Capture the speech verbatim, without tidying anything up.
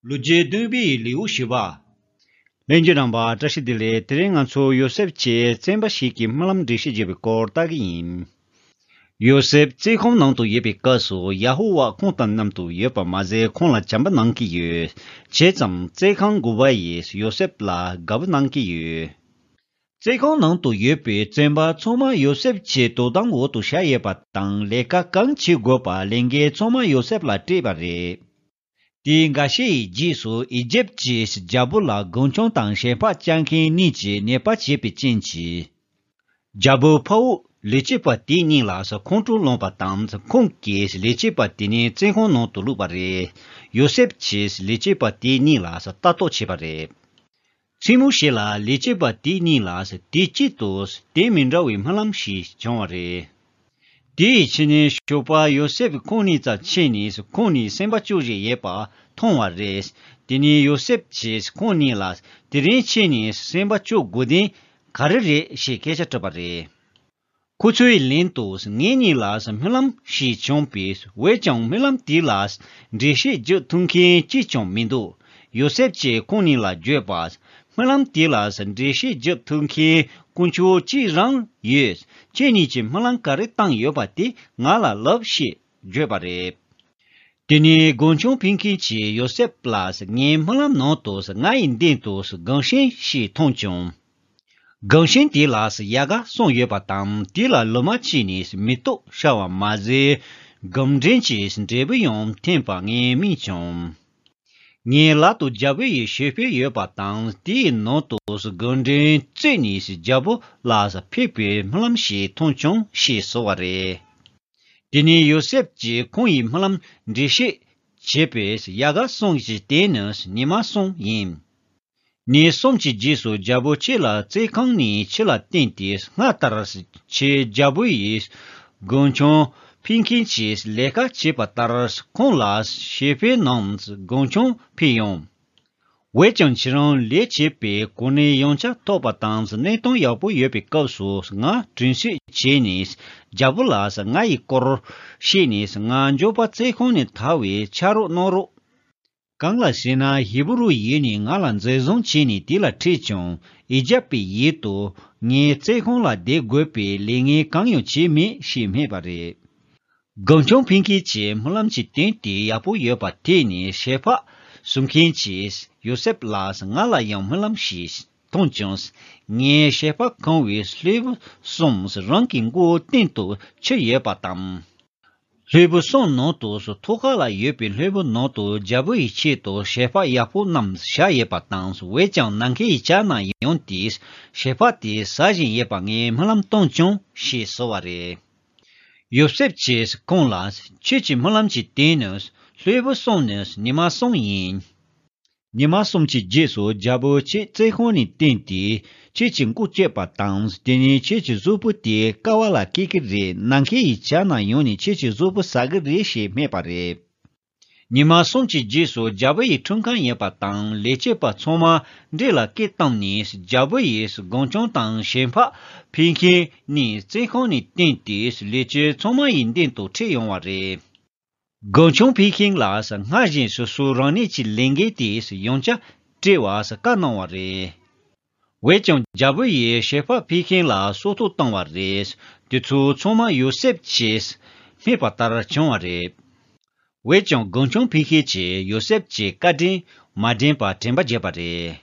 ལོ་རྒྱུས་བདུན་པའི་ལེའུ་བཞི་པ། ལྷན་རྒྱས་རྣམ་པ་བཀྲ་ཤིས་བདེ་ལེགས། དེ་རིང་ང་ཚོ་ཡོ་སེབ་ཀྱིས་བཙོན་པ་ཞིག་གི་རྨི་ལམ་འགྲེལ་བཤད་བརྒྱབ་པའི་སྐོར་ལྟ་གི་ཡིན། ཡོ་སེབ་བཙོན་ཁང་ནང་དུ་ཡོད་པའི་སྐབས་སུ་ཡ་ཧོ་ཝཱ་ཁོང་དང་མཉམ་དུ་ཡོད་པ་མ་ཟད་ཁོང་ལ་བྱམས་པ་གནང་གི་ཡོད། བྱས་ཙང་བཙོན་ཁང་འགོ་པ་ཡིས་ཡོ་སེབ་ལ་དགའ་པོ་གནང་གི་ཡོད། བཙོན་ཁང་ནང་དུ་ཡོད་པའི་བཙོན་པ་ཚང་མ་ཡོ་སེབ་ཀྱི་དོ་དམ་འོག་ཏུ་བཞག་ཡོད་པ་དང་ལས་ཀ་གང་བྱེད་དགོས་པ་ལས་འགན་ཚང་མ་ཡོ་སེབ་ལ་སྤྲད་པ་རེད། དེའི་འགའ་ཤས་ཡི་རྗེས་སུ་ཨི་ཇེབ་ཀྱི་རྒྱལ་པོ་ལ་མགོན་སྐྱོང་དང་ཞལ་འཕགས་བཅར་མཁན་གཉིས་ཀྱིས་ཉེས་པ་བྱས་པའི་རྐྱེན་གྱིས། རྒྱལ་པོའི་ཕ་བོང་ལས་བྱེད་པ་དེ་གཉིས་ལ་ཁོང་ཁྲོ་ལངས་པ་དང་ཁོང་གིས་ལས་བྱེད་པ་དེ་གཉིས་བཙོན་ཁང་ནང་དུ་བླུགས་པ་རེད། ཡོ་སེབ་ཀྱིས་ལས་བྱེད་པ་དེ་གཉིས་ལ་ལྟ་རྟོག་བྱས་པ་རེད། མཚན་མོ་ཞིག་ལ་ལས་བྱེད་པ་དེ་གཉིས་ལ་དུས་གཅིག་ཏུ་དོན་མི་འདྲ་བའི་རྨི་ལམ་ཞིག་བྱུང་བ་རེད། དེའི་ཕྱི་ནས་ཞོགས་པ་ཡོ་སེབ་ཁོང་གཉིས་རྩར་ཕྱིན་ནས་ཁོང་གཉིས་སེམས་པ་སྐྱོ་བཞིན་ཡོད་པ་མཐོང་བ་རེད། དེ་ནས་ཡོ་སེབ་ཀྱིས་ཁོང་གཉིས་ལ་དེ་རིང་ཁྱེད་གཉིས་སེམས་པ་སྐྱོ་དགོས་དོན་ག་རེ་རེད་ཞེས་སྐད་ཆ་དྲིས་པ་རེད། ཁོ་ཚོའི་ལན་དུ་ངེད་གཉིས་ལ་རྨི་ལམ་ཞིག་བྱུང་བས། འོན་ཀྱང་རྨི་ལམ་དེ་ལ་འགྲེལ་བཤད་རྒྱག་ཐུབ་མཁན་གཅིག་ཀྱང་མི་འདུག་ཡོ་སེབ་ཀྱིས་ཁོང་གཉིས་ལ་བརྗོད་པ། རྨི་ལམ་དེ་ལ་འགྲེལ་བཤད་རྒྱག་ཐུབ་མཁན་དཀོན་མཆོག་གཅིག་རང་ཡོད། ཁྱེད་གཉིས་ཀྱིས་རྨི་ལམ་ག་རེ་བཏང་ཡོད་པ་དེ་ང་ལ་ལབ་ཞེས་བརྗོད་པ་རེད། དེ་ནས་མགོན་ཆུང་ཕིང་ཁིན་གྱིས་ཡོ་སེབ་ལ། ངའི་རྨི་ལམ་ནང་དུ་ང་ཡི་མདུན་དུ་རྒན་གཞོན་ཞིག་མཐོང་བྱུང་། རྒན་གཞོན་དེ་ལ་ཡལ་ག་གསུམ་ཡོད་པ་དང་དེ་ལ་ལོ་མ་གཅིག་ནས་མེ་ཏོག་ཤར་བ་མ་ཟད་སྒོམ་འདྲེན་གྱི་འབྲས་བུ་ཡང་ཐོན་པ་ངས་རྨིས་བྱུང་། ངའི་ལག་ཏུ་རྒྱལ་པོ་ཡི་ཞལ་ཕོར་ཡོད་པ་དང་དེའི་ནང་དུ་སྒོམ་འདྲེན་བཙུགས་ནས་རྒྱལ་པོ་ལ་ཕེབས་པའི་རྨི་ལམ་ཞིག་མཐོང་བྱུང་ཞེས་ཟེར་བ་རེད། དེ་ནས་ཡོ་སེབ་ཀྱིས་ཁོང་ཡི་རྨི་ལམ་འགྲེལ་བཤད་བྱས་པས་ཡལ་ག་གསུམ་གྱི་སྟེང་ནི་ཉི་མ་གསུམ་ཡིན། ཉིན་གསུམ་གྱི་རྗེས་སུ་རྒྱལ་པོ་ཁྱེད་ལ་བཙོན་ཁང་ནས་ཕྱི་ལ་བཏོན་ཏེ་སྔར་ལྟར་ཁྱེད་རྒྱལ་པོ་ཡི་མགོན་ཆུང་ཕིང་ཁིན་གྱིས་ལས་ཀ་བྱས་པ་ལྟར་ཁོང་ལ་ཞལ་ཕོར་ནང་མགོན་ཆུང་ཕུལ་ཡོང་། འོན་ཀྱང་ཁྱེད་རང་ལས་བྱེད་པའི་གོ་གནས་ཡང་བསྐྱར་ཐོབ་པ་དང་གནས་སྟངས་ཡག་པོ་ཡོད་པའི་སྐབས་སུ་ང་དྲིན་གསོ་བྱས་ནས་རྒྱལ་པོ་ལ་ང་ཡི་སྐོར་བཤད་ནས་ང་མགྱོགས་པ་བཙོན་ཁང་ནས་ཐར་བའི་ཕྱག་རོགས་གནང་རོགས། གང་ལགས་ཟེར་ན་ཧི་བུ་རུ་ཡུལ་ནས་ང་ལ་འཛིན་བཟུང་བྱས་ནས་དེ་ལ་ཁྲིད་བྱུང་། ཨི་ཇེབ་པའི་ཡུལ་དུ་ངའི་བཙོན་ཁང་ལ་བསྡད་དགོས་པའི་ལས་ངན་གང་ཡང་བྱས་མེད་ཞེས་སྨྲས་པ་རེད། མགོན་ཆུང་ཕིང་ཁིན་གྱིས་རྨི་ལམ་གྱི་དོན་དེ་ཡག་པོ་ཡོད་པ་ཐོས་ནས་ཞལ་འཕགས་གསུང་མཁན་གྱིས་ཡོ་སེབ་ལ་ང་ལ་ཡང་རྨི་ལམ་ཞིག་མཐོང་བྱུང་། ངས་ཞལ་འཕགས་གང་བའི་ལྷུན་པོ་གསུམ་རང་གི་མགོ་སྟེང་དུ་ཆུད་ཡོད་པ་དང་། ལྷུན་པོ་གསུམ་ནང་དུ་ཐོག་ཁ་ལ་ཡོད་པའི་ལྷུན་པོ་ནང་དུ་རྒྱལ་པོ་ཡི་ཆེད་དུ་ཞལ་འཕགས་ཡག་པོ་རྣམས་བཞག་ཡོད་པ་དང་། འོན་ཀྱང་ནམ་མཁའི་ཡི་བྱ་རྣམས་ཡོང་སྟེ་ཞལ་འཕགས་དེ་ཟ་བཞིན་ཡོད་པ་ངས་རྨི་ལམ་མཐོང་བྱུང་ཞེས་ཟེར་བ་རེད། ཡོ་སེབ་ཀྱིས་ཁོང་ལ་ཁྱེད་ཀྱི་རྨི་ལམ་གྱི་དོན་ནི་ལྷུན་པོ་གསུམ་ནི་ཉི་མ་གསུམ་ཡིན། ཉི་མ་གསུམ་གྱི་རྗེས་སུ་རྒྱལ་པོ་ཁྱེད་བཙོན་ཁང་ནས་བཏོན་ཏེ་ཁྱེད་ཀྱི་མགོ་བཅད་པ་དང་དེ་ནས་ཁྱེད་ཀྱི་གཟུགས་པོ་དེ་ཀ་བ་ལ་བཀལ་གྱི་རེད། ནམ་མཁའི་ཡི་བྱ་རྣམས་ཡོང་ནས་ཁྱེད་ཀྱི་གཟུགས་པོ་ཟ་གི་རེད་ཞེས་སྨྲས་པ་རེད། ཉི་མ་གསུམ་གྱི་རྗེས་སུ་རྒྱལ་པོ་ཡི་འཁྲུངས་སྐར་ཡིན་པ་དང་ལས་བྱེད་པ་ཚང་མ་འདྲེ་ལ་སྐད་བཏང་ནས་རྒྱལ་པོ་ཡི་སྒོམ་ཆུང་དང་ཞལ་འཕགས་ཕིང་ཁིན་གཉིས་བཙོན་ཁང་ནས་བཏོན་ཏེ་ལས་བྱེད་ཚང་མ་ཡི་མདུན་དུ་ཁྲིད་ཡོང་བ་རེད། སྒོམ་ཆུང་ཕིང་ཁིན་ལ་སྔར་བཞིན་སོ་སོ་རང་ཉིད་ཀྱི་ལས་འགན་དེ་ཡང་བསྐྱར་སྤྲད་པར་བཀའ་གནང་བ་རེད། འོན་ཀྱང་རྒྱལ་པོ་ཡིས་ཞལ་འཕགས་ཕིང་ཁིན་ལ་སྲོག་ཐོག་བཏང་བ་རེད། དེ་ཚོ་ཚང་མ་ཡོ་སེབ་ཀྱིས་སྨྲས་པ་ལྟར་བྱུང་བ་རེད། འོན་ཀྱང་སྒོམ་ཆུང་ཕིང་ཁིན་གྱིས་ཡོ་སེབ་ཀྱི་བཀའ་དྲིན་མ་དྲན་པར་དྲན་པ་བརྗེད་པ་རེད།